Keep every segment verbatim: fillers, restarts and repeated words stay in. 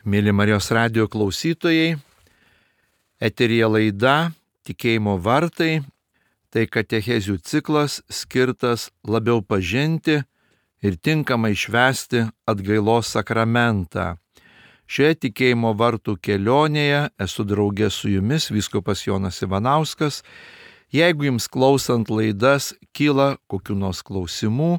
Mėly Marijos radijo klausytojai, eteryje laida Tikėjimo vartai, tai katechezių ciklas skirtas labiau pažinti ir tinkamai švęsti atgailos sakramentą. Šioje tikėjimo vartų kelionėje esu draugė su jumis vyskupas Jonas Ivanauskas. Jeigu jums klausant laidas kyla kokių nors klausimų,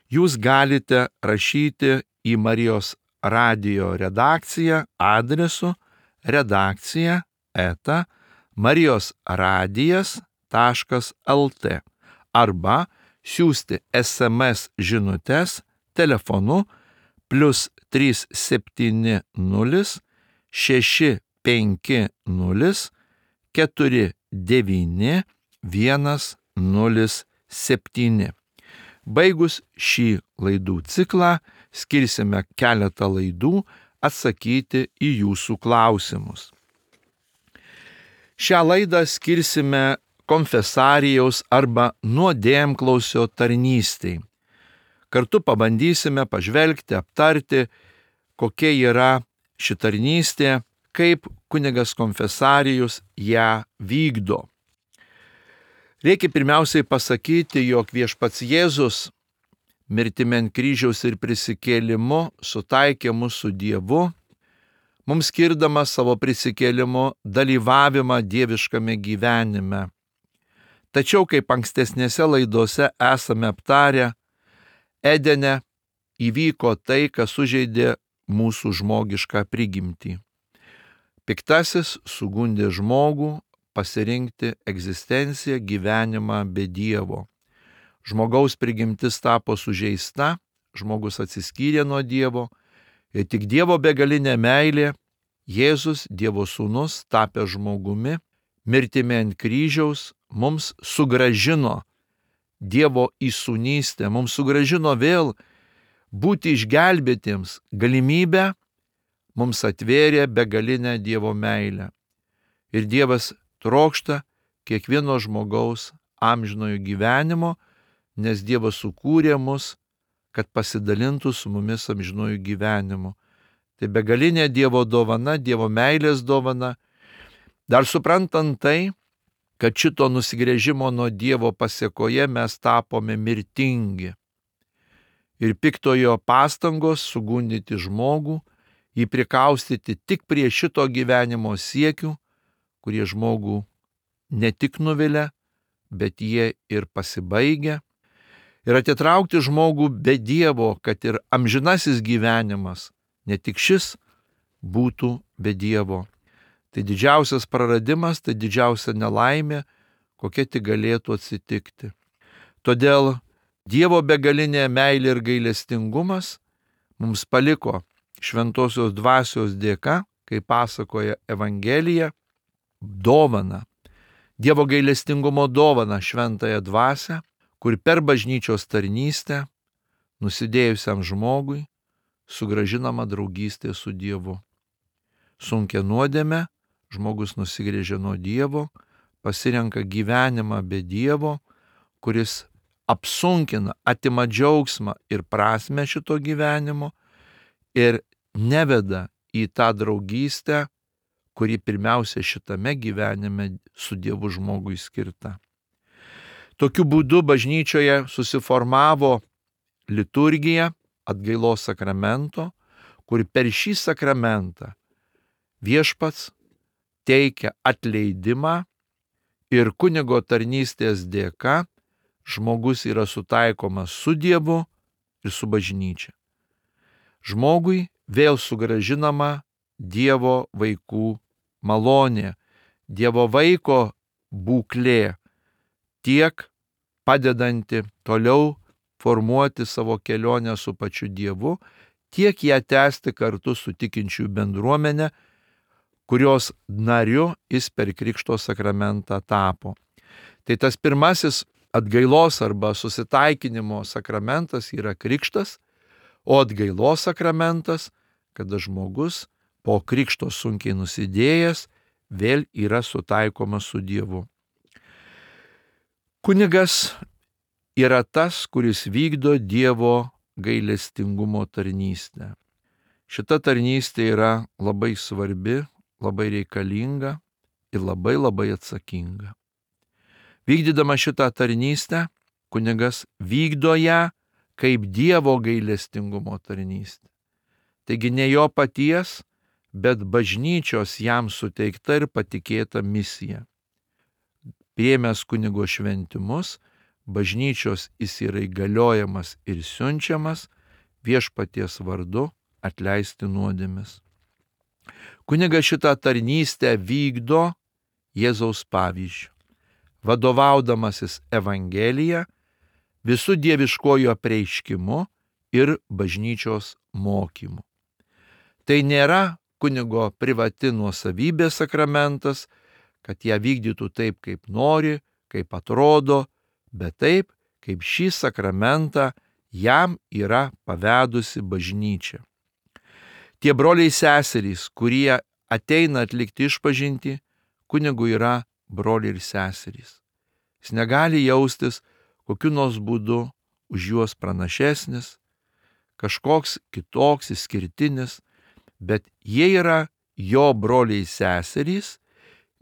jūs galite rašyti į Marijos radijo redakciją adresu redakcija eta marijosradijas taškas lt arba siųsti es em es žinutes telefonu plius trys septyni nulis šeši penki nulis keturi devyni vienas nulis septyni. Baigus šį laidų ciklą, skirsime keletą laidų atsakyti į jūsų klausimus. Šią laidą skirsime konfesarijaus arba nuodėmklausio tarnystei. Kartu pabandysime pažvelgti, aptarti, kokia yra ši tarnystė, kaip kunigas konfesarijus ją vykdo. Reikia pirmiausiai pasakyti, jog viešpats Jėzus mirtimi ant kryžiaus ir prisikėlimu sutaikė mus su Dievu, mums skirdamas savo prisikėlimu dalyvavimą dieviškame gyvenime. Tačiau, kaip ankstesnėse laidose esame aptarę, Edene įvyko tai, kas sužeidė mūsų žmogišką prigimtį. Piktasis sugundė žmogų pasirinkti egzistenciją, gyvenimą be Dievo. Žmogaus prigimtis tapo sužeista, žmogus atsiskyrė nuo Dievo ir tik Dievo begalinė meilė, Jėzus, Dievo sūnus, tapęs žmogumi, mirtimi ant kryžiaus, mums sugrąžino Dievo įsūnystę, mums sugrąžino vėl būti išgelbėtiems galimybę, mums atvėrė begalinę Dievo meilę. Ir Dievas trokšta kiekvieno žmogaus amžinojo gyvenimo, nes Dievas sukūrė mus, kad pasidalintų su mumis amžinojų gyvenimu. Tai begalinė Dievo dovana, Dievo meilės dovana. Dar suprantant tai, kad šito nusigręžimo nuo Dievo pasėkoje mes tapome mirtingi. Ir piktojo pastangos sugundyti žmogų, jį prikaustyti tik prie šito gyvenimo siekių, kurie žmogų ne tik nuvilia, bet jie ir pasibaigia. Ir atitraukti žmogų be Dievo, kad ir amžinasis gyvenimas, ne tik šis, būtų be Dievo. Tai didžiausias praradimas, tai didžiausia nelaimė, kokia tik galėtų atsitikti. Todėl Dievo begalinė meilė ir gailestingumas mums paliko šventosios dvasios dėka, kaip pasakoja Evangelija, dovaną. Dievo gailestingumo dovaną šventąją dvasią, kur per bažnyčios tarnystę nusidėjusiam žmogui sugrąžinama draugystė su Dievu. Sunkia nuodėme žmogus nusigręžia nuo Dievo, pasirenka gyvenimą be Dievo, kuris apsunkina, atima džiaugsmą ir prasmę šito gyvenimo ir neveda į tą draugystę, kuri pirmiausia šitame gyvenime su Dievu žmogui skirta. Tokiu būdu bažnyčioje susiformavo liturgija atgailos sakramento, kur per šį sakramentą viešpats teikia atleidimą ir kunigo tarnystės dėka žmogus yra sutaikomas su Dievu ir su bažnyčia. Žmogui vėl sugrąžinama Dievo vaikų malonė, Dievo vaiko būklė, tiek padedanti toliau formuoti savo kelionę su pačiu Dievu, tiek ją tęsti kartu su tikinčiųjų bendruomenė, kurios nariu jis per Krikšto sakramentą tapo. Tai tas pirmasis atgailos arba susitaikinimo sakramentas yra Krikštas, o atgailos sakramentas, kada žmogus po Krikšto sunkiai nusidėjęs vėl yra sutaikomas su Dievu. Kunigas yra tas, kuris vykdo Dievo gailestingumo tarnystę. Šita tarnystė yra labai svarbi, labai reikalinga ir labai labai atsakinga. Vykdydama šitą tarnystę, kunigas vykdo ją kaip Dievo gailestingumo tarnystė. Taigi ne jo paties, bet bažnyčios jam suteikta ir patikėta misija. Priėmęs kunigo šventimus, bažnyčios jis yra įgaliojamas ir siunčiamas viešpaties vardu atleisti nuodėmes. Kunigas šitą tarnystę vykdo Jėzaus pavyzdžiu, vadovaudamasis Evangelija, visų dieviškojų apreiškimu ir bažnyčios mokymu. Tai nėra kunigo privati nuosavybė sakramentas, kad ją vykdytų taip, kaip nori, kaip atrodo, bet taip, kaip šį sakramentą jam yra pavedusi bažnyčia. Tie broliai seserys, kurie ateina atlikti išpažintį, kunigui yra broliai ir seserys. Jis negali jaustis kokiu nors būdu už juos pranašesnis, kažkoks kitoks, išskirtinis, bet jie yra jo broliai seserys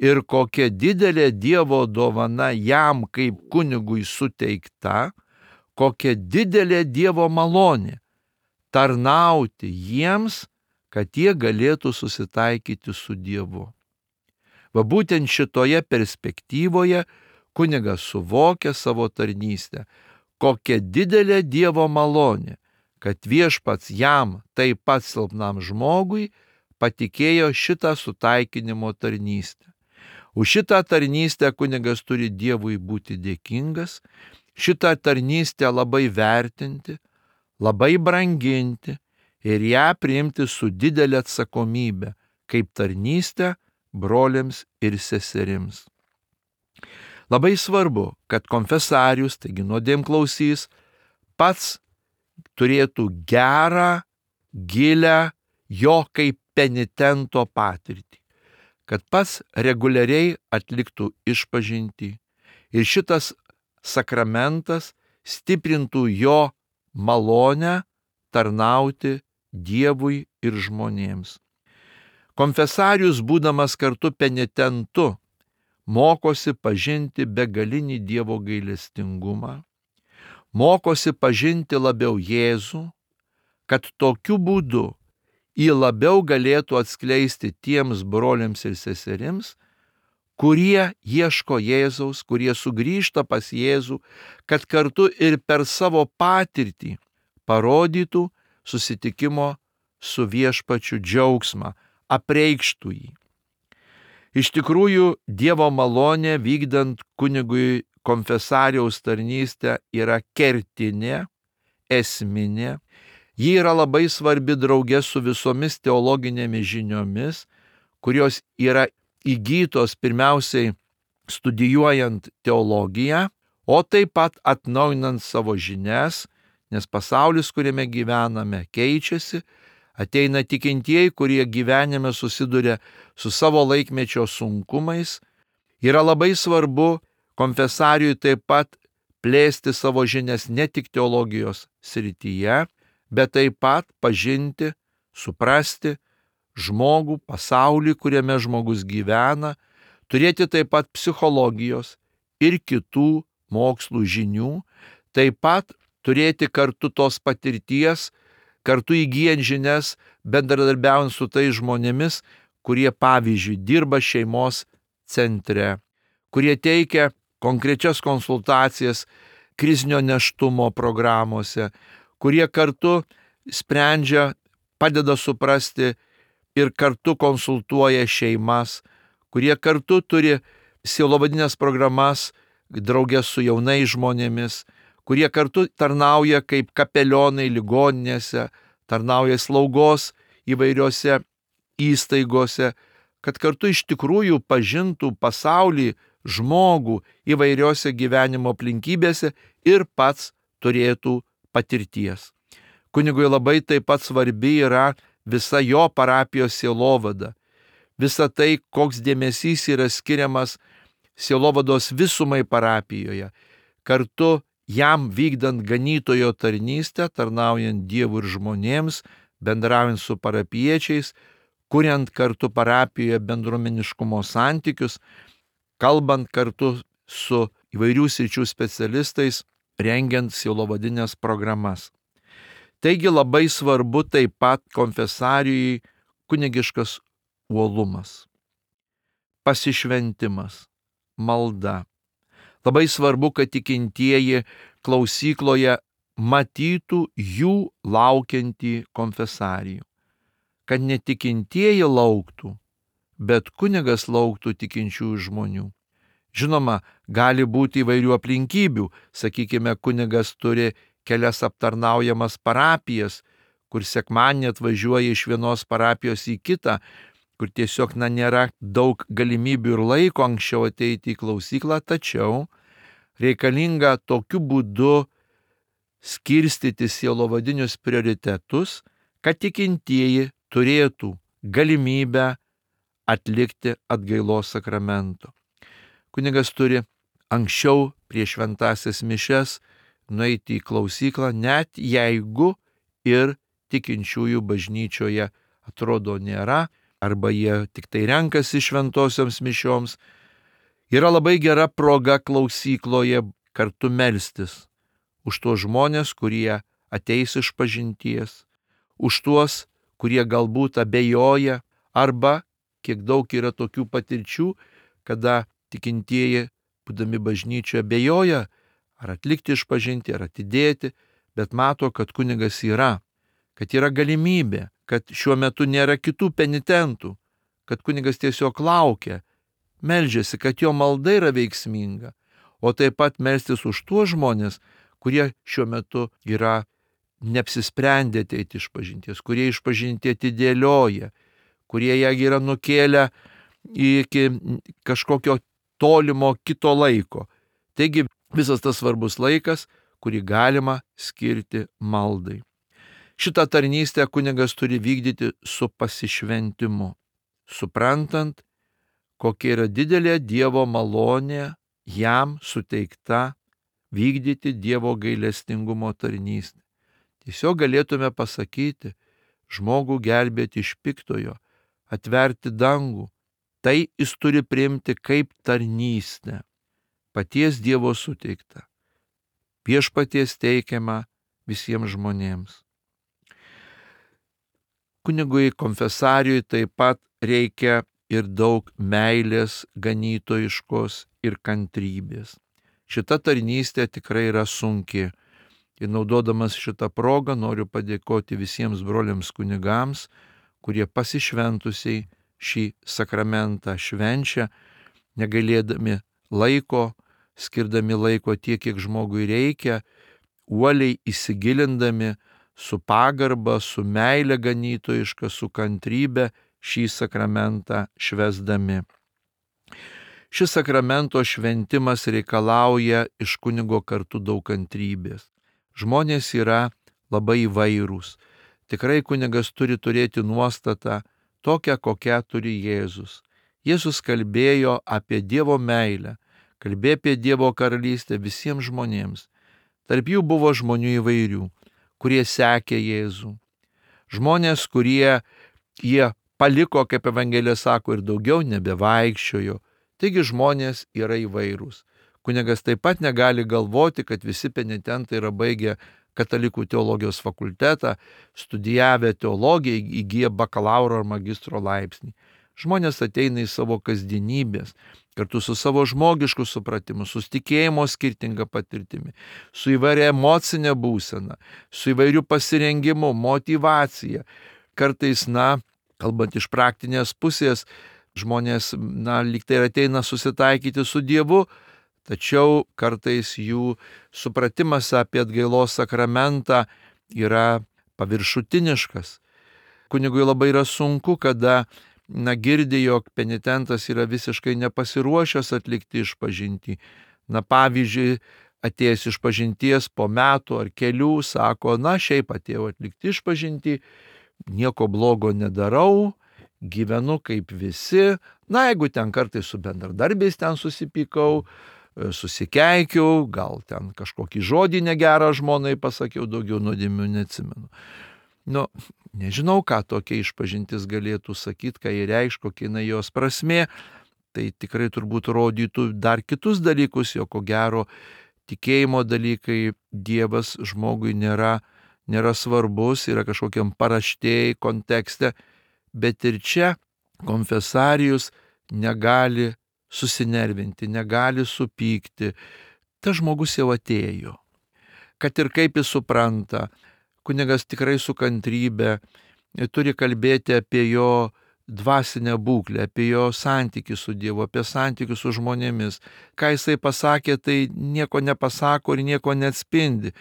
ir kokia didelė Dievo dovana jam kaip kunigui suteikta, kokia didelė Dievo malonė tarnauti jiems, kad jie galėtų susitaikyti su Dievu. Va būtent šitoje perspektyvoje kunigas suvokia savo tarnystę, kokia didelė Dievo malonė, kad viešpats jam taip pat silpnam žmogui patikėjo šitą sutaikinimo tarnystę. Už šitą tarnystę kunigas turi Dievui būti dėkingas, šitą tarnystę labai vertinti, labai branginti ir ją priimti su didelė atsakomybė, kaip tarnystę broliams ir seserims. Labai svarbu, kad konfesarius, taigi nuodėmklausys, pats turėtų gerą, gilę jo kaip penitento patirtį, kad pats reguliariai atliktų išpažintį ir šitas sakramentas stiprintų jo malonę tarnauti Dievui ir žmonėms. Konfesarius, būdamas kartu penitentu, mokosi pažinti begalinį Dievo gailestingumą, mokosi pažinti labiau Jėzų, kad tokiu būdu jį labiau galėtų atskleisti tiems broliams ir seserims, kurie ieško Jėzaus, kurie sugrįžta pas Jėzų, kad kartu ir per savo patirtį parodytų susitikimo su viešpačiu džiaugsmą, apreikštų jį. Iš tikrųjų, Dievo malonė vykdant kunigui konfesariaus tarnystę yra kertinė, esminė. Ji yra labai svarbi drauge su visomis teologinėmis žiniomis, kurios yra įgytos pirmiausiai studijuojant teologiją, o taip pat atnaujinant savo žinias, nes pasaulis, kuriame gyvename, keičiasi, ateina tikintieji, kurie gyvenime susiduria su savo laikmečio sunkumais. Yra labai svarbu konfesariui taip pat plėsti savo žinias ne tik teologijos srityje, bet taip pat pažinti, suprasti žmogų, pasaulį, kuriame žmogus gyvena, turėti taip pat psichologijos ir kitų mokslų žinių, taip pat turėti kartu tos patirties, kartu įgyjant žinias, bendradarbiaujant su tais žmonėmis, kurie, pavyzdžiui, dirba šeimos centre, kurie teikia konkrečias konsultacijas krizinio nėštumo programuose, kurie kartu sprendžia, padeda suprasti ir kartu konsultuoja šeimas, kurie kartu turi sielovadines programas draugės su jaunais žmonėmis, kurie kartu tarnauja kaip kapelionai ligoninėse, tarnauja slaugos įvairiose įstaigose, kad kartu iš tikrųjų pažintų pasaulį, žmogų įvairiose gyvenimo aplinkybėse ir pats turėtų patirties. Kunigui labai taip pat svarbi yra visa jo parapijos sielovada. Visa tai, koks dėmesys yra skiriamas sielovados visumai parapijoje. Kartu jam vykdant ganytojo tarnystę, tarnaujant Dievui ir žmonėms, bendraujant su parapiečiais, kuriant kartu parapijoje bendruomeniškumo santykius, kalbant kartu su įvairių sričių specialistais, rengiant sielovadinės programas. Taigi labai svarbu taip pat konfesarijai kunigiškas uolumas, pasišventimas, malda. Labai svarbu, kad tikintieji klausykloje matytų jų laukiantį konfesarijų, kad netikintieji lauktų, bet kunigas lauktų tikinčiųjų žmonių. Žinoma, gali būti įvairių aplinkybių, sakykime, kunigas turi kelias aptarnaujamas parapijas, kur sekmadienį atvažiuoja iš vienos parapijos į kitą, kur tiesiog na, nėra daug galimybių ir laiko anksčiau ateiti į klausyklą, tačiau reikalinga tokiu būdu skirstyti sielovadinius prioritetus, kad tikintieji turėtų galimybę atlikti atgailos sakramento. Kunigas turi anksčiau prieš šventąsias mišias nueiti į klausyklą, net jeigu ir tikinčiųjų bažnyčioje atrodo nėra, arba jie tik tai renkasi šventosioms mišioms. Yra labai gera proga klausykloje kartu melstis už tuos žmonės, kurie ateis iš pažinties, už tuos, kurie galbūt abejoja, arba kiek daug yra tokių patirčių, kada tikintieji, būdami bažnyčioje, abejoja, ar atlikti išpažinti, ar atidėti, bet mato, kad kunigas yra, kad yra galimybė, kad šiuo metu nėra kitų penitentų, kad kunigas tiesiog laukia, meldžiasi, kad jo malda yra veiksminga, o taip pat melstis už tuos žmonės, kurie šiuo metu yra neapsisprendę ateiti išpažinties, kurie išpažinti atidėlioja, kurie ją yra nukėlę iki kažkokio tolimo kito laiko. Taigi visas tas svarbus laikas, kurį galima skirti maldai. Šitą tarnystę kunigas turi vykdyti su pasišventimu, suprantant, kokia yra didelė Dievo malonė jam suteikta vykdyti Dievo gailestingumo tarnystę. Tiesiog galėtume pasakyti, žmogų gelbėti iš piktojo, atverti dangų, tai jis turi priimti kaip tarnystę, paties Dievo suteikta, viešpaties teikiama visiems žmonėms. Kunigui konfesarijui taip pat reikia ir daug meilės, ganytojiškos ir kantrybės. Šita tarnystė tikrai yra sunki. Ir naudodamas šitą progą noriu padėkoti visiems broliams kunigams, kurie pasišventusiai šį sakramentą švenčia, negailėdami laiko, skirdami laiko tiek, kiek žmogui reikia, uoliai įsigilindami su pagarba, su meile ganytojiška, su kantrybe šį sakramentą švęsdami. Šis sakramento šventimas reikalauja iš kunigo kartu daug kantrybės. Žmonės yra labai įvairūs. Tikrai kunigas turi turėti nuostatą tokią, kokią turi Jėzus. Jėzus kalbėjo apie Dievo meilę, kalbėjo apie Dievo karalystę visiems žmonėms. Tarp jų buvo žmonių įvairių, kurie sekė Jėzų. Žmonės, kurie jie paliko, kaip Evangelija sako, ir daugiau nebevaikščiojo. Taigi žmonės yra įvairūs. Kunigas taip pat negali galvoti, kad visi penitentai yra baigę katalikų teologijos fakultetą, studijavę teologiją, įgyję bakalauro ar magistro laipsnį. Žmonės ateina į savo kasdienybės, kartu su savo žmogišku supratimu, su tikėjimo skirtinga patirtimi, su įvairia emocinė būsena, su įvairiu pasirengimu, motyvacija. Kartais, na, kalbant iš praktinės pusės, žmonės, na, lyg tai ateina susitaikyti su Dievu, tačiau kartais jų supratimas apie atgailos sakramentą yra paviršutiniškas. Kunigui labai yra sunku, kada na, girdi, jog penitentas yra visiškai nepasiruošęs atlikti išpažintį. Na, pavyzdžiui, atėjęs išpažinties po metų ar kelių, sako, na, šiaip atėjau atlikti išpažintį, nieko blogo nedarau, gyvenu kaip visi, na, jeigu ten kartais su bendradarbiais ten susipykau, susikeikiau, gal ten kažkokį žodį negerą žmonai pasakiau, daugiau nuodėmių neatsimenu. Nu, nežinau, ką tokia išpažintis galėtų sakyti, ką jie reikš, kokia jinai jos prasmė. Tai tikrai turbūt rodytų dar kitus dalykus, jo ko gero tikėjimo dalykai Dievas žmogui nėra, nėra svarbus, yra kažkokiam paraštėjai kontekste, bet ir čia konfesarijus negali susinervinti, negali supykti. Tas žmogus jau atėjo. Kad ir kaip jis supranta, kunigas tikrai su kantrybe turi kalbėti apie jo dvasinę būklę, apie jo santykį su Dievu, apie santykį su žmonėmis. Ką jisai pasakė, tai nieko nepasako ir nieko neatspindi.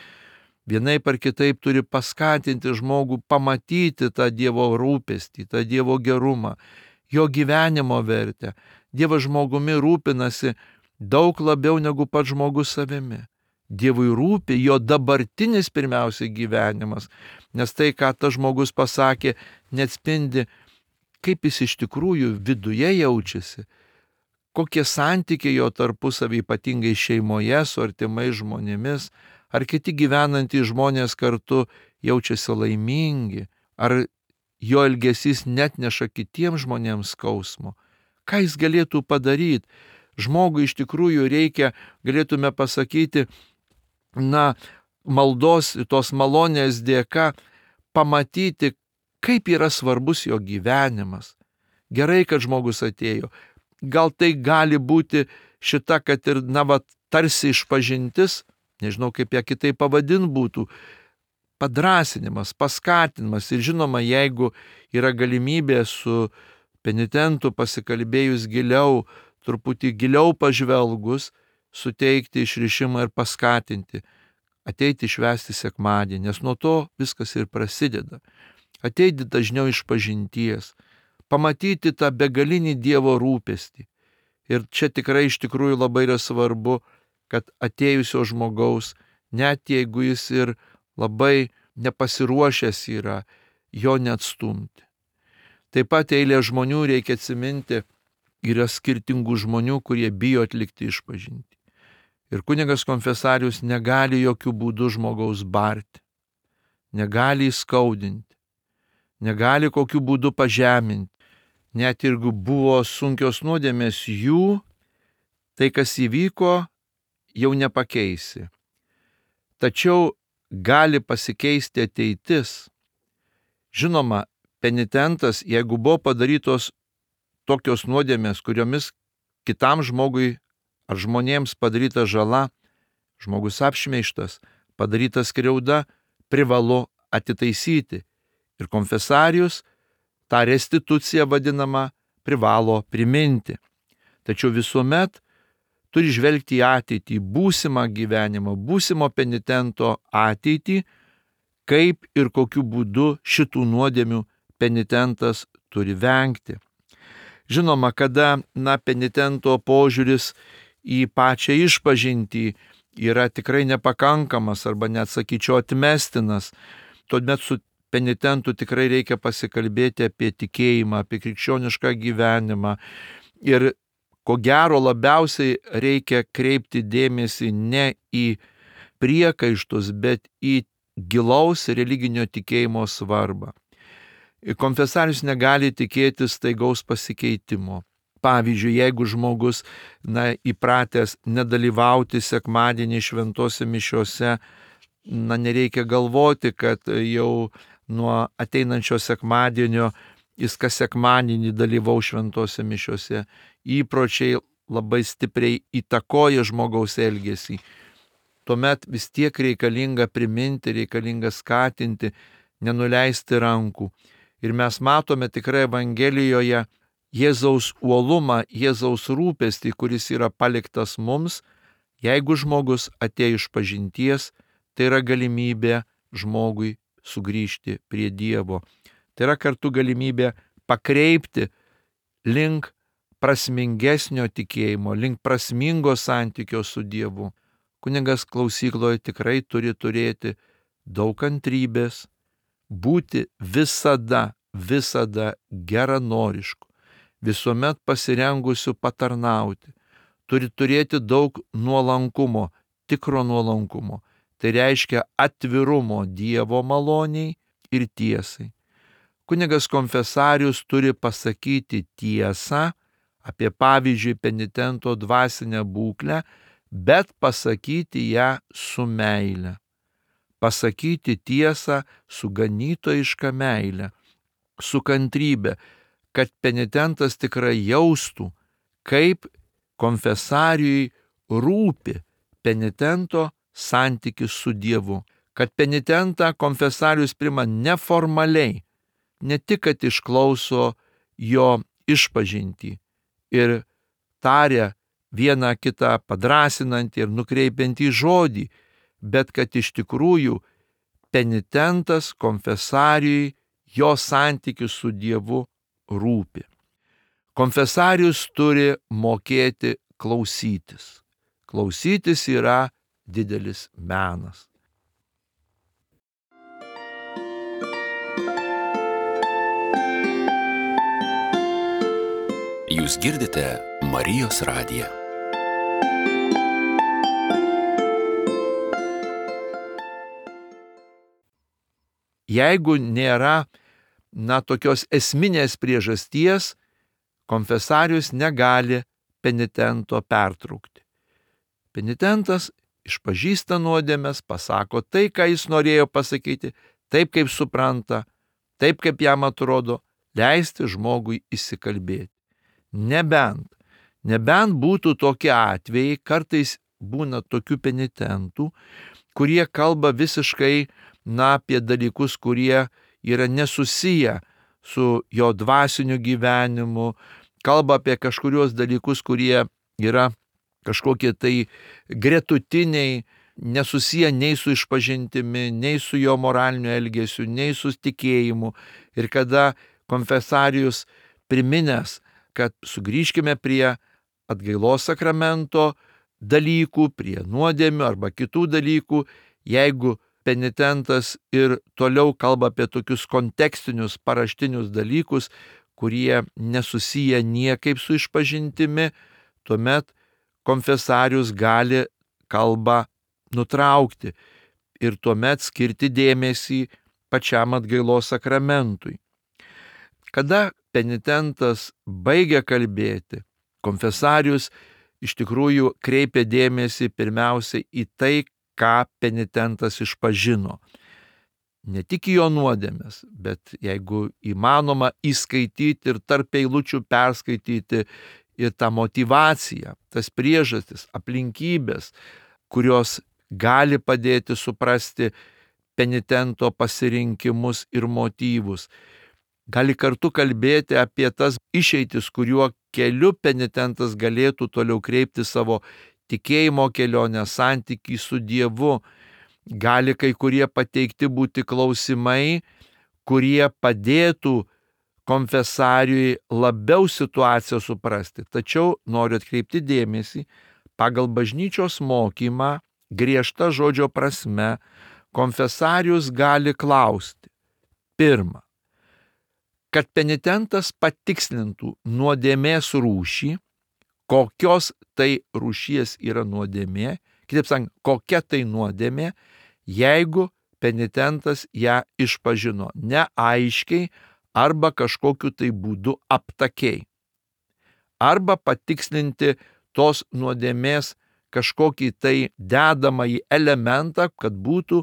Vienaip ar kitaip turi paskatinti žmogų pamatyti tą Dievo rūpestį, tą Dievo gerumą, jo gyvenimo vertę. Dievas žmogumi rūpinasi daug labiau negu pats žmogus savimi. Dievui rūpi jo dabartinis pirmiausiai gyvenimas, nes tai, ką tas žmogus pasakė, neatspindi, kaip jis iš tikrųjų viduje jaučiasi, kokie santykiai jo tarpusavį, ypatingai šeimoje, su artimais žmonėmis, ar kiti gyvenantys žmonės kartu jaučiasi laimingi, ar jo elgesys net neša kitiems žmonėms skausmo. Ką jis galėtų padaryti? Žmogui iš tikrųjų reikia, galėtume pasakyti, na, maldos, tos malonės dėka pamatyti, kaip yra svarbus jo gyvenimas. Gerai, kad žmogus atėjo. Gal tai gali būti šita, kad ir, na, va, tarsi išpažintis, nežinau, kaip ją kitaip pavadint būtų, padrasinimas, paskatinimas. Ir žinoma, jeigu yra galimybė su penitentu pasikalbėjus giliau, truputį giliau pažvelgus, suteikti išrišimą ir paskatinti, ateiti švęsti sekmadienį, nes nuo to viskas ir prasideda. Ateiti dažniau išpažinties, pamatyti tą begalinį Dievo rūpestį. Ir čia tikrai iš tikrųjų labai yra svarbu, kad atėjusio žmogaus, net jeigu jis ir labai nepasiruošęs yra, jo neatstumti. Taip pat eilė žmonių, reikia atsiminti, yra skirtingų žmonių, kurie bijo atlikti išpažintį. Ir kunigas konfesarius negali jokių būdų žmogaus barti, negali įskaudinti, negali kokių būdų pažeminti. Net jeigu buvo sunkios nuodėmės jų, tai kas įvyko, jau nepakeisi. Tačiau gali pasikeisti ateitis. Žinoma, penitentas, jeigu buvo padarytos tokios nuodėmės, kuriomis kitam žmogui ar žmonėms padaryta žala, žmogus apšmeižtas, padaryta skriauda, privalu atitaisyti. Ir konfesarius tą restituciją vadinamą privalo priminti. Tačiau visuomet turi žvelgti į ateitį, būsimą gyvenimą, būsimo penitento ateitį, kaip ir kokiu būdu šitų nuodėmių penitentas turi vengti. Žinoma, kada, na, penitento požiūris į pačią išpažintį yra tikrai nepakankamas arba net sakyčiau atmestinas, tuomet su penitentu tikrai reikia pasikalbėti apie tikėjimą, apie krikščionišką gyvenimą. Ir ko gero labiausiai reikia kreipti dėmesį ne į priekaištus, bet į gilaus religinio tikėjimo svarbą. Konfesarius negali tikėtis staigaus pasikeitimo. Pavyzdžiui, jeigu žmogus, na, įpratęs nedalyvauti sekmadienį šventose mišiose, na, nereikia galvoti, kad jau nuo ateinančio sekmadienio jis kas sekmadienį dalyvaus šventose mišiose. Įpročiai labai stipriai įtakoja žmogaus elgesį. Tuomet vis tiek reikalinga priminti, reikalinga skatinti, nenuleisti rankų. Ir mes matome tikrai Evangelijoje Jėzaus uolumą, Jėzaus rūpestį, kuris yra paliktas mums. Jeigu žmogus atėjo iš pažinties, tai yra galimybė žmogui sugrįžti prie Dievo. Tai yra kartu galimybė pakreipti link prasmingesnio tikėjimo, link prasmingo santykio su Dievu. Kunigas klausykloje tikrai turi turėti daug kantrybės, būti visada, visada geranorišku, visuomet pasirengusiu patarnauti. Turi turėti daug nuolankumo, tikro nuolankumo. Tai reiškia atvirumo Dievo maloniai ir tiesai. Kunigas konfesarius turi pasakyti tiesą apie, pavyzdžiui, penitento dvasinę būklę, bet pasakyti ją su meile. Pasakyti tiesą su ganytojiška meile, su kantrybe, kad penitentas tikrai jaustų, kaip konfesariui rūpi penitento santykis su Dievu, kad penitentą konfesarius priima neformaliai, ne tik, kad išklauso jo išpažintį ir taria vieną kitą padrąsinantį ir nukreipiantį žodį, bet kad iš tikrųjų penitentas konfesariui jo santykis su Dievu rūpi. Konfesarius turi mokėti klausytis. Klausytis yra didelis menas. Jūs girdite Marijos radiją. Jeigu nėra, na, tokios esminės priežasties, konfesarius negali penitento pertraukti. Penitentas išpažįsta nuodėmes, pasako tai, ką jis norėjo pasakyti, taip, kaip supranta, taip, kaip jam atrodo, leisti žmogui įsikalbėti. Nebent, nebent būtų tokie atvejai, kartais būna tokių penitentų, kurie kalba visiškai, na, apie dalykus, kurie yra nesusiję su jo dvasiniu gyvenimu, kalba apie kažkurios dalykus, kurie yra kažkokie tai gretutiniai, nesusiję nei su išpažintimi, nei su jo moraliniu elgesiu, nei su tikėjimu. Ir kada konfesarius priminęs, kad sugrįžkime prie atgailos sakramento dalykų, prie nuodėmių arba kitų dalykų, jeigu penitentas ir toliau kalba apie tokius kontekstinius, paraštinius dalykus, kurie nesusiję niekaip su išpažintimi, tuomet konfesarius gali kalbą nutraukti ir tuomet skirti dėmesį pačiam atgailos sakramentui. Kada penitentas baigia kalbėti, konfesarius iš tikrųjų kreipia dėmesį pirmiausiai į tai, ką penitentas išpažino. Ne tik į jo nuodėmes, bet jeigu įmanoma įskaityti ir tarp eilučių perskaityti ir tą motyvaciją, tas priežastis, aplinkybės, kurios gali padėti suprasti penitento pasirinkimus ir motyvus. Gali kartu kalbėti apie tas išeitis, kuriuo keliu penitentas galėtų toliau kreipti savo tikėjimo kelionę, santykį su Dievu. Gali kai kurie pateikti būti klausimai, kurie padėtų konfesariui labiau situaciją suprasti. Tačiau noriu atkreipti dėmesį, pagal bažnyčios mokymą, griežta žodžio prasme, konfesarius gali klausti. Pirma, kad penitentas patikslintų nuodėmės rūšį, kokios tai rūšies yra nuodėmė, kitaip sakant, kokia tai nuodėmė, jeigu penitentas ją išpažino neaiškiai arba kažkokiu tai būdu aptakiai. Arba patikslinti tos nuodėmės kažkokį tai dedamąjį elementą, kad būtų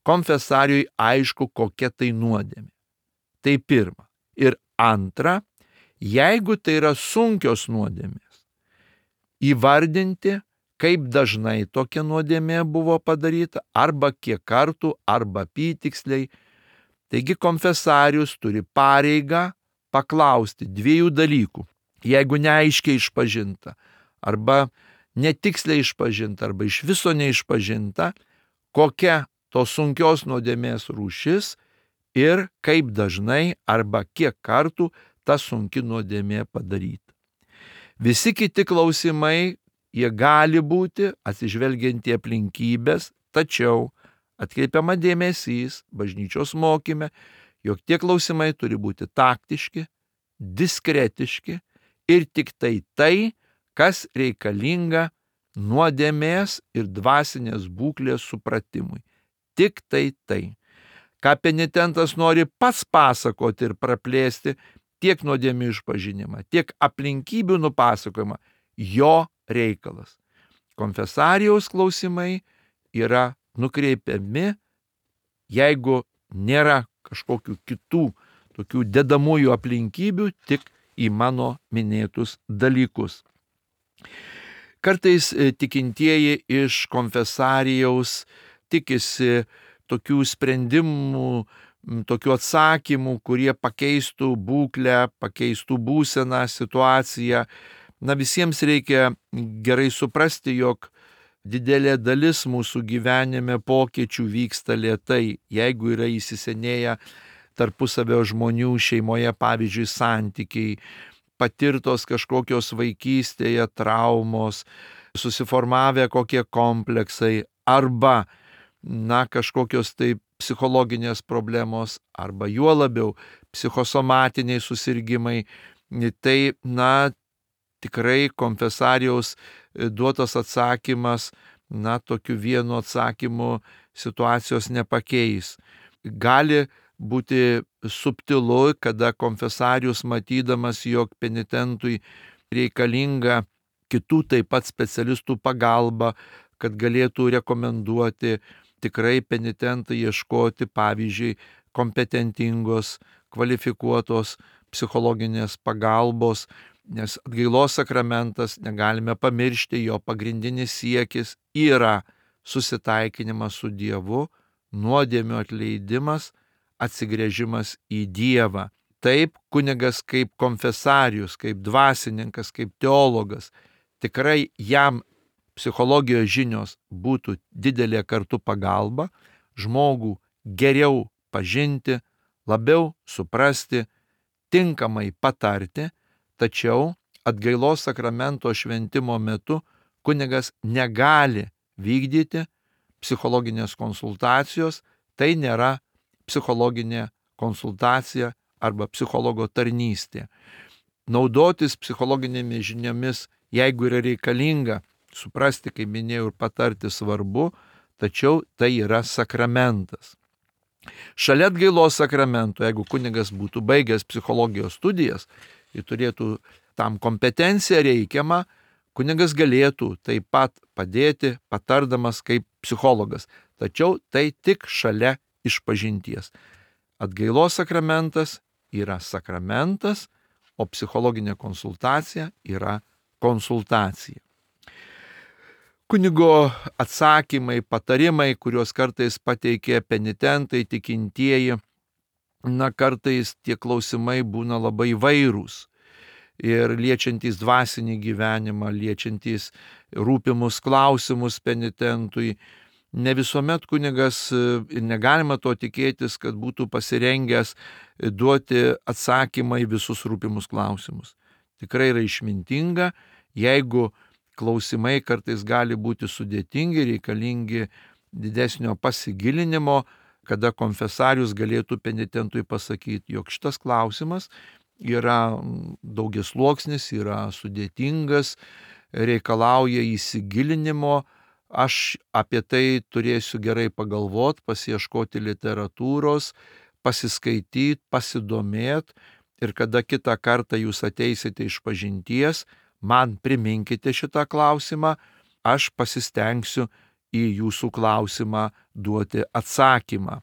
konfesariui aišku, kokia tai nuodėmė. Tai pirma. Ir antra, jeigu tai yra sunkios nuodėmės, įvardinti, kaip dažnai tokia nuodėmė buvo padaryta, arba kiek kartų, arba apytiksliai. Taigi konfesarius turi pareigą paklausti dviejų dalykų. Jeigu neaiškiai išpažinta, arba netiksliai išpažinta, arba iš viso neišpažinta, kokia tos sunkios nuodėmės rūšis ir kaip dažnai arba kiek kartų ta sunki nuodėmė padaryta. Visi kiti klausimai, jie gali būti atsižvelgiant į aplinkybės, tačiau atkreipiama dėmesys bažnyčios mokyme, jog tie klausimai turi būti taktiški, diskretiški ir tik tai tai, kas reikalinga nuodėmės ir dvasinės būklės supratimui. Tik tai tai. ką penitentas nori pats pasakoti ir praplėsti, tiek nuodėmių išpažinimą, tiek aplinkybių nupasakojimą, jo reikalas. Konfesarijaus klausimai yra nukreipiami, jeigu nėra kažkokių kitų tokių dedamųjų aplinkybių, tik į mano minėtus dalykus. Kartais tikintieji iš konfesarijaus tikisi tokių sprendimų, tokių atsakymų, kurie pakeistų būklę, pakeistų būseną, situaciją. Na, visiems reikia gerai suprasti, jog didelė dalis mūsų gyvenime pokyčių vyksta lėtai, jeigu yra įsisenėję tarpusavio žmonių šeimoje, pavyzdžiui, santykiai, patirtos kažkokios vaikystėje traumos, susiformavę kokie kompleksai, arba, na, kažkokios tai psichologinės problemos, arba juo labiau psichosomatiniai susirgymai. Tai, na, tikrai konfesarijaus duotas atsakymas, na, tokiu vienu atsakymu situacijos nepakeis. Gali būti subtilu, kada konfesarijus, matydamas, jog penitentui reikalinga kitų taip pat specialistų pagalba, kad galėtų rekomenduoti tikrai penitentą ieškoti, pavyzdžiui, kompetentingos, kvalifikuotos psichologinės pagalbos, nes atgailos sakramentas, negalime pamiršti, jo pagrindinis siekis yra susitaikinimas su Dievu, nuodėmių atleidimas, atsigręžimas į Dievą. Taip, kunigas kaip konfesarius, kaip dvasininkas, kaip teologas, tikrai jam psichologijos žinios būtų didelė kartu pagalba, žmogų geriau pažinti, labiau suprasti, tinkamai patarti, tačiau atgailos sakramento šventimo metu kunigas negali vykdyti psichologinės konsultacijos, tai nėra psichologinė konsultacija arba psichologo tarnystė. Naudotis psichologinėmis žiniomis, jeigu yra reikalinga, suprasti, kaip minėjau, ir patarti svarbu, tačiau tai yra sakramentas. Šalia atgailos sakramento, jeigu kunigas būtų baigęs psichologijos studijas, ir turėtų tam kompetenciją reikiamą, kunigas galėtų taip pat padėti, patardamas kaip psichologas. Tačiau tai tik šalia išpažinties. Atgailos sakramentas yra sakramentas, o psichologinė konsultacija yra konsultacija. Kunigo atsakymai, patarimai, kuriuos kartais pateikia penitentai, tikintieji, na, kartais tie klausimai būna labai įvairūs ir liečiantys dvasinį gyvenimą, liečiantys rūpimus klausimus penitentui. Ne visuomet kunigas, ir negalima to tikėtis, kad būtų pasirengęs duoti atsakymą į visus rūpimus klausimus. Tikrai yra išmintinga, jeigu klausimai kartais gali būti sudėtingi, reikalingi didesnio pasigilinimo, kada konfesarius galėtų penitentui pasakyti, jog šitas klausimas yra daugiasluoksnis, yra sudėtingas, reikalauja įsigilinimo, aš apie tai turėsiu gerai pagalvoti, pasiieškoti literatūros, pasiskaityti, pasidomėti, ir kada kitą kartą jūs ateisite iš pažinties, man priminkite šitą klausimą, aš pasistengsiu į jūsų klausimą duoti atsakymą.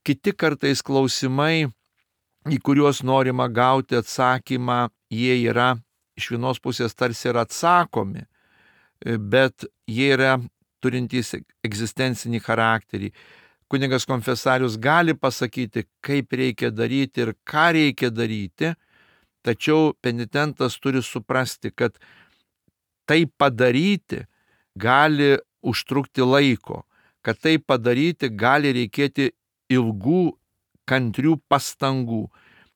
Kiti kartais klausimai, į kuriuos norima gauti atsakymą, jie yra iš vienos pusės tarsi yra atsakomi, bet jie yra turintys egzistencinį charakterį. Kunigas konfesarius gali pasakyti, kaip reikia daryti ir ką reikia daryti, tačiau penitentas turi suprasti, kad tai padaryti gali užtrukti laiko, kad tai padaryti gali reikėti ilgų, kantrių pastangų.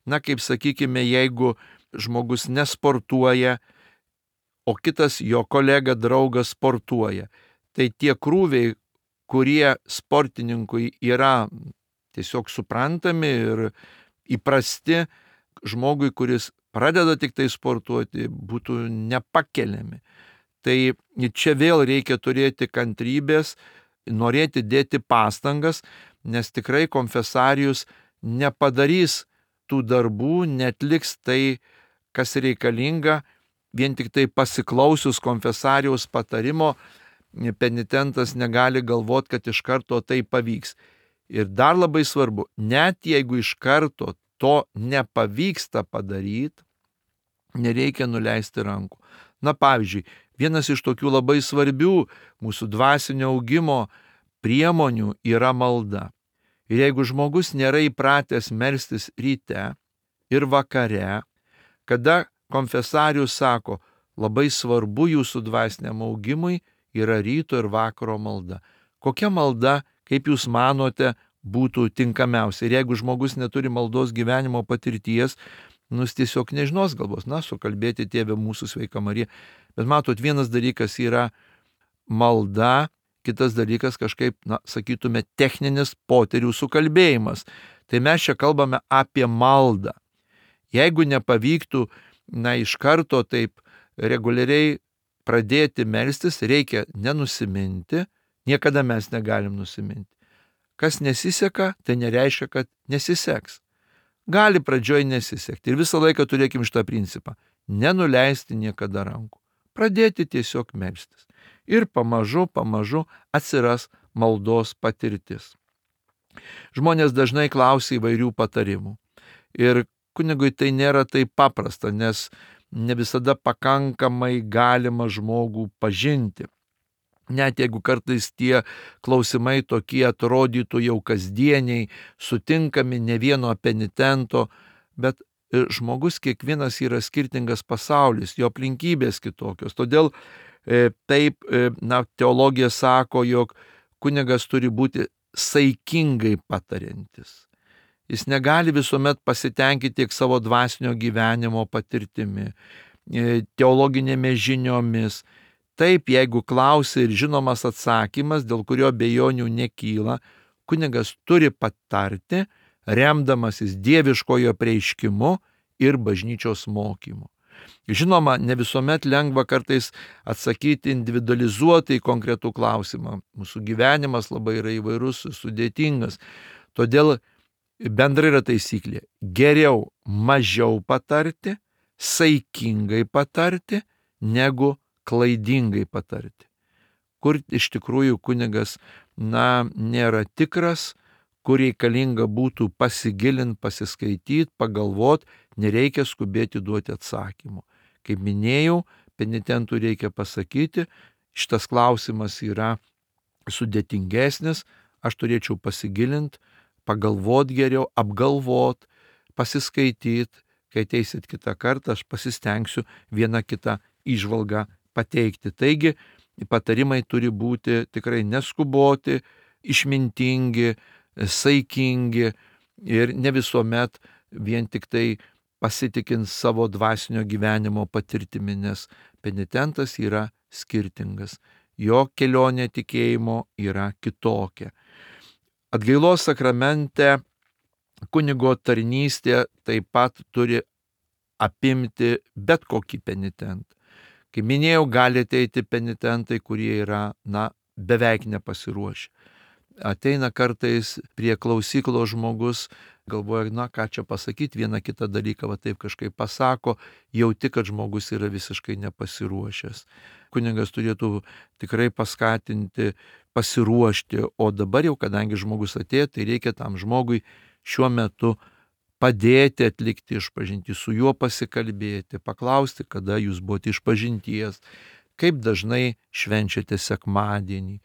Na, kaip sakykime, jeigu žmogus nesportuoja, o kitas jo kolega, draugas sportuoja, tai tie krūviai, kurie sportininkui yra tiesiog suprantami ir įprasti, žmogui, kuris pradeda tik tai sportuoti, būtų nepakeliami. Tai čia vėl reikia turėti kantrybės, norėti dėti pastangas, nes tikrai konfesarijus nepadarys tų darbų, netliks tai, kas reikalinga, vien tik tai pasiklausius konfesarijaus patarimo, penitentas negali galvoti, kad iš karto tai pavyks. Ir dar labai svarbu, net jeigu iš karto to nepavyksta padaryti, nereikia nuleisti rankų. Na pavyzdžiui, vienas iš tokių labai svarbių mūsų dvasinio augimo priemonių yra malda. Ir jeigu žmogus nėra įpratęs melstis ryte ir vakare, kada konfesarius sako, labai svarbu jūsų dvasiniam augimui yra ryto ir vakaro malda. Kokia malda, kaip jūs manote, būtų tinkamiausia? Ir jeigu žmogus neturi maldos gyvenimo patirties, nu jis tiesiog nežinos galvos, na, sukalbėti Tėve mūsų sveika Marija. Bet matot, vienas dalykas yra malda, kitas dalykas kažkaip, na, sakytume, techninis poterių sukalbėjimas. Tai mes čia kalbame apie maldą. Jeigu nepavyktų, na, iš karto taip reguliariai pradėti melstis, reikia nenusiminti, niekada mes negalim nusiminti. Kas nesiseka, tai nereiškia, kad nesiseks. Gali pradžioj nesisekti. Ir visą laiką turėkim šitą principą. Nenuleisti niekada rankų. Pradėti tiesiog melstis. Ir pamažu, pamažu atsiras maldos patirtis. Žmonės dažnai klausia įvairių patarimų. Ir kunigui tai nėra taip paprasta, nes ne visada pakankamai galima žmogų pažinti. Net jeigu kartais tie klausimai tokie atrodytų jau kasdieniai, sutinkami ne vieno penitento, bet žmogus kiekvienas yra skirtingas pasaulis, jo aplinkybės kitokios. Todėl e, taip, e, na, teologija sako, jog kunigas turi būti saikingai patariantis. Jis negali visuomet pasitenkinti tiek savo dvasinio gyvenimo patirtimi, e, teologinėmis žiniomis. Taip, jeigu klausia ir žinomas atsakymas, dėl kurio bejonių nekyla, kunigas turi patarti, remdamasis dieviškojo apreiškimu ir bažnyčios mokymu. Žinoma, ne visuomet lengva kartais atsakyti individualizuotai konkretų klausimą. Mūsų gyvenimas labai yra įvairus, sudėtingas. Todėl bendrai yra taisyklė. Geriau mažiau patarti, saikingai patarti, negu klaidingai patarti. Kur iš tikrųjų kunigas, na, nėra tikras, kur reikalinga būtų pasigilinti, pasiskaityti, pagalvoti, nereikia skubėti duoti atsakymų. Kaip minėjau, penitentui reikia pasakyti, šitas klausimas yra sudėtingesnis, aš turėčiau pasigilinti, pagalvoti geriau, apgalvoti, pasiskaityti, kai ateisit kitą kartą, aš pasistengsiu vieną kitą įžvalgą pateikti. Taigi, patarimai turi būti tikrai neskuboti, išmintingi, saikingi ir ne visuomet vien tik tai pasitikint savo dvasinio gyvenimo patirtimi, nes penitentas yra skirtingas. Jo kelionė tikėjimo yra kitokia. Atgailos sakramente kunigo tarnystė taip pat turi apimti bet kokį penitentą. Kaip minėjau, gali ateiti penitentai, kurie yra, na, beveik nepasiruošę. Ateina kartais prie klausyklo žmogus, galvoja, na, ką čia pasakyti, vieną kitą dalyką va taip kažkaip pasako, jauti, kad žmogus yra visiškai nepasiruošęs. Kunigas turėtų tikrai paskatinti, pasiruošti, o dabar jau, kadangi žmogus atėjo, tai reikia tam žmogui šiuo metu padėti atlikti išpažintį, su juo pasikalbėti, paklausti, kada jūs buvote išpažinties, kaip dažnai švenčiate sekmadienį,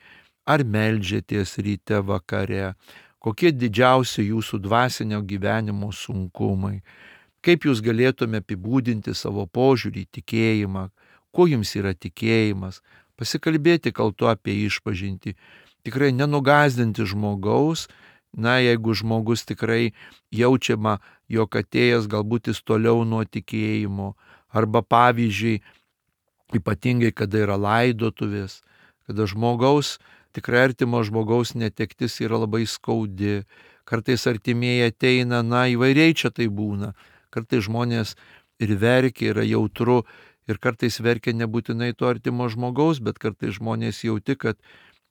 ar meldžiatės ryte vakare, kokie didžiausi jūsų dvasinio gyvenimo sunkumai, kaip jūs galėtume apibūdinti savo požiūrį į tikėjimą, kuo jums yra tikėjimas, pasikalbėti kartu apie išpažintį, tikrai nenugąsdinti žmogaus. Na, jeigu žmogus tikrai jaučiama, jog atėjęs galbūt jis toliau nuo tikėjimo, arba pavyzdžiui, ypatingai kada yra laidotuvės, kada žmogaus, tikrai artimo žmogaus netektis yra labai skaudi, kartais artimieji ateina, na, įvairiai čia tai būna, kartais žmonės ir verkia, yra jautru, ir kartais verkia nebūtinai to artimo žmogaus, bet kartais žmonės jauti, kad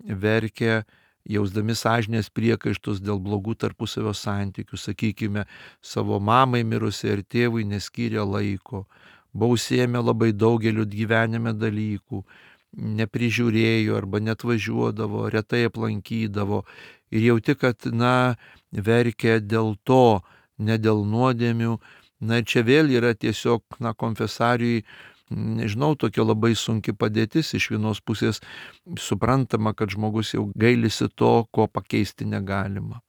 verkia jausdami sąžinės priekaištus dėl blogų tarpusavio santykių, sakykime, savo mamai mirusiai ir tėvui neskyrė laiko, buvo užsiėmę labai daugeliu gyvenime dalykų, neprižiūrėjo arba net važiuodavo, retai aplankydavo ir jauti, kad, na, verkia dėl to, ne dėl nuodėmių. Na ir čia vėl yra tiesiog, na, konfesarijai, nežinau, tokia labai sunki padėtis. Iš vienos pusės suprantama, kad žmogus jau gailisi to, ko pakeisti negalima.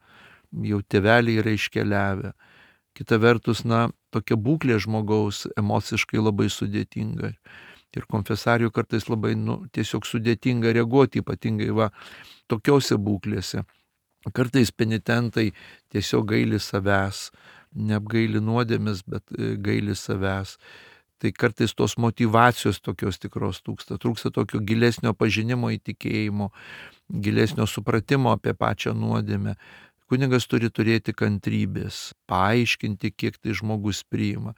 Jau tėveliai yra iškeliavę. Kita vertus, na, tokia būklė žmogaus emociškai labai sudėtinga. Ir konfesarijų kartais labai, nu, tiesiog sudėtinga reaguoti, ypatingai va tokiose būklėse. Kartais penitentai tiesiog gaili savęs, neapgaili nuodėmės, bet gaili savęs. Tai kartais tos motyvacijos tokios tikros trūksta, trūksta tokio gilesnio pažinimo įtikėjimo, gilesnio supratimo apie pačią nuodėmę. Kunigas turi turėti kantrybės, paaiškinti, kiek tai žmogus priima.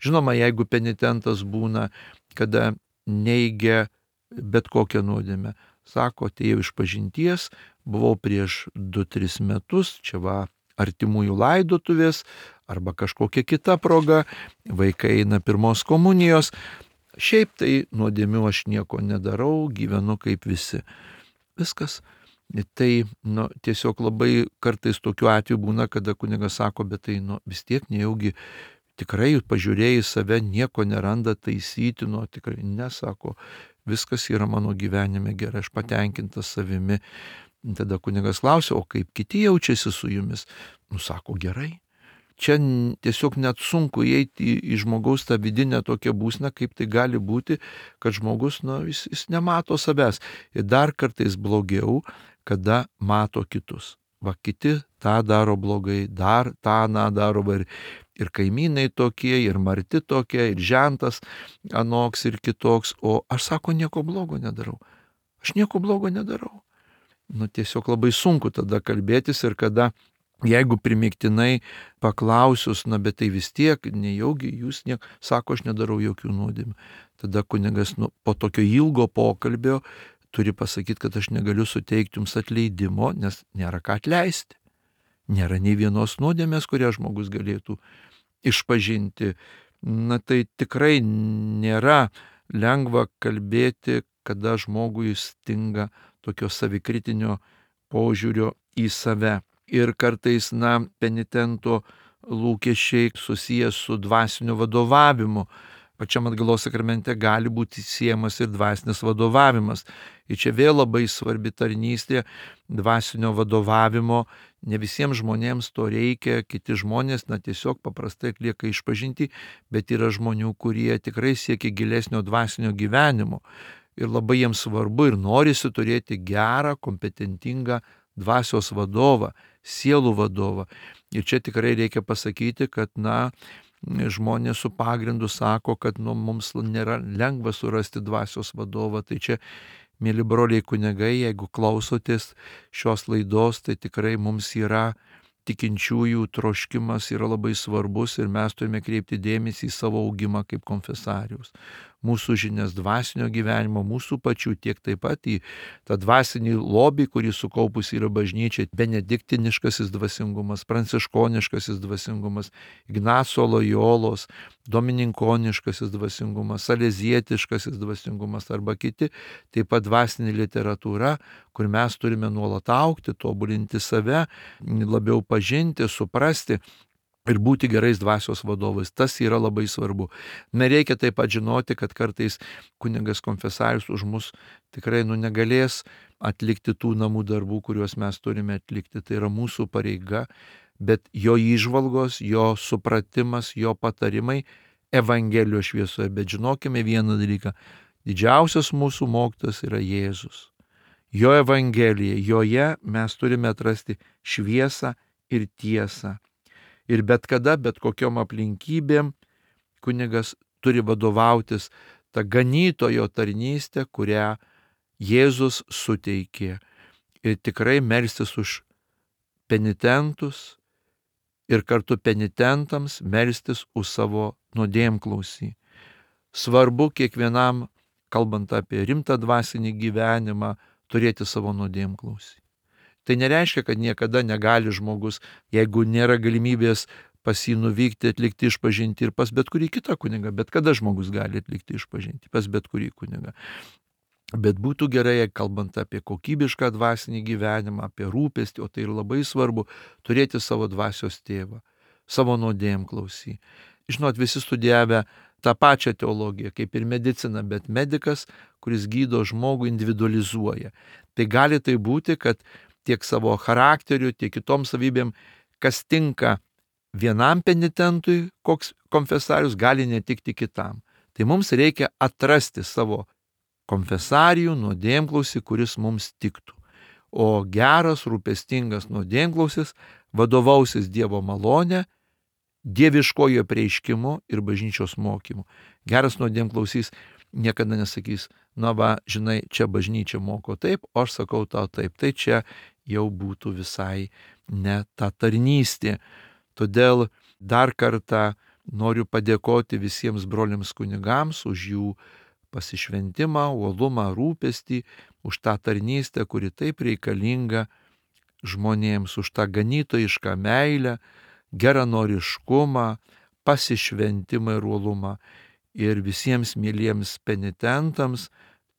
Žinoma, jeigu penitentas būna, kada neigia bet kokią nuodėmę, sako, atėjau iš pažinties, buvau prieš du tris metus, čia va artimųjų laidotuvės arba kažkokia kita proga, vaikai eina pirmos komunijos, šiaip tai nuodėmių aš nieko nedarau, gyvenu kaip visi. Viskas. Tai, nu, tiesiog labai kartais tokiu atveju būna, kada kunigas sako, bet tai, nu, vis tiek nejaugi tikrai pažiūrėjai save, nieko neranda taisyti, nu, tikrai nesako, viskas yra mano gyvenime gerai, aš patenkintas savimi. Tada kunigas klausia, o kaip kiti jaučiasi su jumis? Nu, sako, gerai. Čia tiesiog net sunku įeiti į, į žmogaus tą vidinę tokią būseną, kaip tai gali būti, kad žmogus, nu, jis, jis nemato savęs. Ir dar kartais blogiau, kada mato kitus. Va, kiti tą daro blogai, dar tą na daro, ir, ir kaimynai tokie, ir marti tokie, ir žentas anoks ir kitoks, o aš, sako, nieko blogo nedarau. Aš nieko blogo nedarau. Nu, tiesiog labai sunku tada kalbėtis ir kada, jeigu primiktinai paklausius, na, bet tai vis tiek, nejaugi jūs niek, sako, aš nedarau jokių nuodėmių. Tada kunigas, nu, po tokio ilgo pokalbio turi pasakyti, kad aš negaliu suteikti jums atleidimo, nes nėra ką atleisti. Nėra nei vienos nuodėmės, kurią žmogus galėtų išpažinti. Na, tai tikrai nėra lengva kalbėti, kada žmogui stinga tokio savikritinio požiūrio į save. Ir kartais, na, penitento lūkesčiai susijęs su dvasiniu vadovavimu. Pačiam atgailos sakramente gali būti siejamas ir dvasinis vadovavimas. Ir čia vėl labai svarbi tarnystė dvasinio vadovavimo. Ne visiems žmonėms to reikia, kiti žmonės, na, tiesiog paprastai atlieka išpažintį, bet yra žmonių, kurie tikrai siekia gilesnio dvasinio gyvenimo. Ir labai jiems svarbu ir norisi turėti gerą, kompetentingą dvasios vadovą, sielų vadovą. Ir čia tikrai reikia pasakyti, kad, na, žmonės su pagrindu sako, kad, nu, mums nėra lengva surasti dvasios vadovą. Tai čia, mėly broliai kunigai, jeigu klausotės šios laidos, tai tikrai mums yra tikinčiųjų troškimas yra labai svarbus ir mes turime kreipti dėmesį į savo augimą kaip konfesarius. Mūsų žinias dvasinio gyvenimo, mūsų pačių, tiek taip pat į tą dvasinį lobį, kurį sukaupus yra bažnyčia, benediktiniškasis dvasingumas, pranciškoniškasis dvasingumas, Ignaco Lojolos, domininkoniškasis dvasingumas, salezietiškasis dvasingumas arba kiti, taip pat dvasinė literatūra, kur mes turime nuolat augti, tobulinti save, labiau pažinti, suprasti ir būti gerais dvasios vadovais. Tas yra labai svarbu. Nereikia taip pat žinoti, kad kartais kunigas konfesarius už mus tikrai, nu, negalės atlikti tų namų darbų, kuriuos mes turime atlikti. Tai yra mūsų pareiga, bet jo įžvalgos, jo supratimas, jo patarimai Evangelijos šviesoje. Bet žinokime vieną dalyką. Didžiausias mūsų mokytojas yra Jėzus. Jo Evangelija, joje mes turime atrasti šviesą ir tiesą. Ir bet kada, bet kokiom aplinkybėm kunigas turi vadovautis tą ganytojo tarnystę, kurią Jėzus suteikė. Ir tikrai melstis už penitentus ir kartu penitentams melstis už savo nuodėmklausį. Svarbu kiekvienam, kalbant apie rimtą dvasinį gyvenimą, turėti savo nuodėmklausį. Tai nereiškia, kad niekada negali žmogus, jeigu nėra galimybės pas jį nuvykti, atlikti išpažinti ir pas bet kurį kitą kunigą, bet kada žmogus gali atlikti išpažinti, pas bet kurį kunigą. Bet būtų gerai, kalbant apie kokybišką dvasinį gyvenimą, apie rūpestį, o tai ir labai svarbu, turėti savo dvasios tėvą, savo nuodėm klausy. Žinot, visi studijavę tą pačią teologiją, kaip ir medicina, bet medikas, kuris gydo žmogų, individualizuoja. Tai gali tai būti, kad tiek savo charakteriu, tiek kitom savybėm, kas tinka vienam penitentui, koks konfesarius, gali netikti kitam. Tai mums reikia atrasti savo konfesarijų, nuodėmklausį, kuris mums tiktų. O geras, rūpestingas nuodėmklausis vadovausis Dievo malonė, dieviškojo prieiškimu ir bažnyčios mokymu. Geras nuodėmklausys niekada nesakys, na va, žinai, čia bažnyčia moko taip, o aš sakau tau taip. Tai čia jau būtų visai ne ta tarnystė. Todėl dar kartą noriu padėkoti visiems broliams kunigams už jų pasišventimą, uolumą, rūpestį, už tą tarnystę, kuri taip reikalinga žmonėms, už tą ganytojišką meilę, geranoriškumą, pasišventimą ir uolumą. Ir visiems myliems penitentams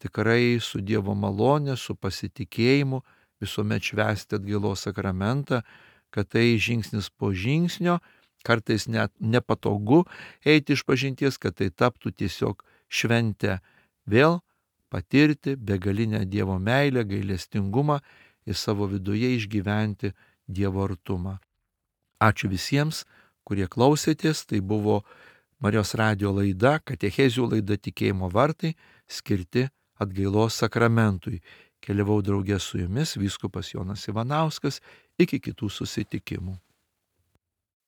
tikrai su Dievo malonė, su pasitikėjimu visuomet švęsti atgailos sakramentą, kad tai žingsnis po žingsnio, kartais net nepatogu eiti iš pažinties, kad tai taptų tiesiog šventę vėl patirti begalinę Dievo meilę, gailestingumą ir savo viduje išgyventi Dievo artumą. Ačiū visiems, kurie klausėtės. Tai buvo Marijos radijo laida, katechezių laida Tikėjimo vartai, skirti atgailos sakramentui. Keliavau draugė su jumis, vyskupas Jonas Ivanauskas. Iki kitų susitikimų.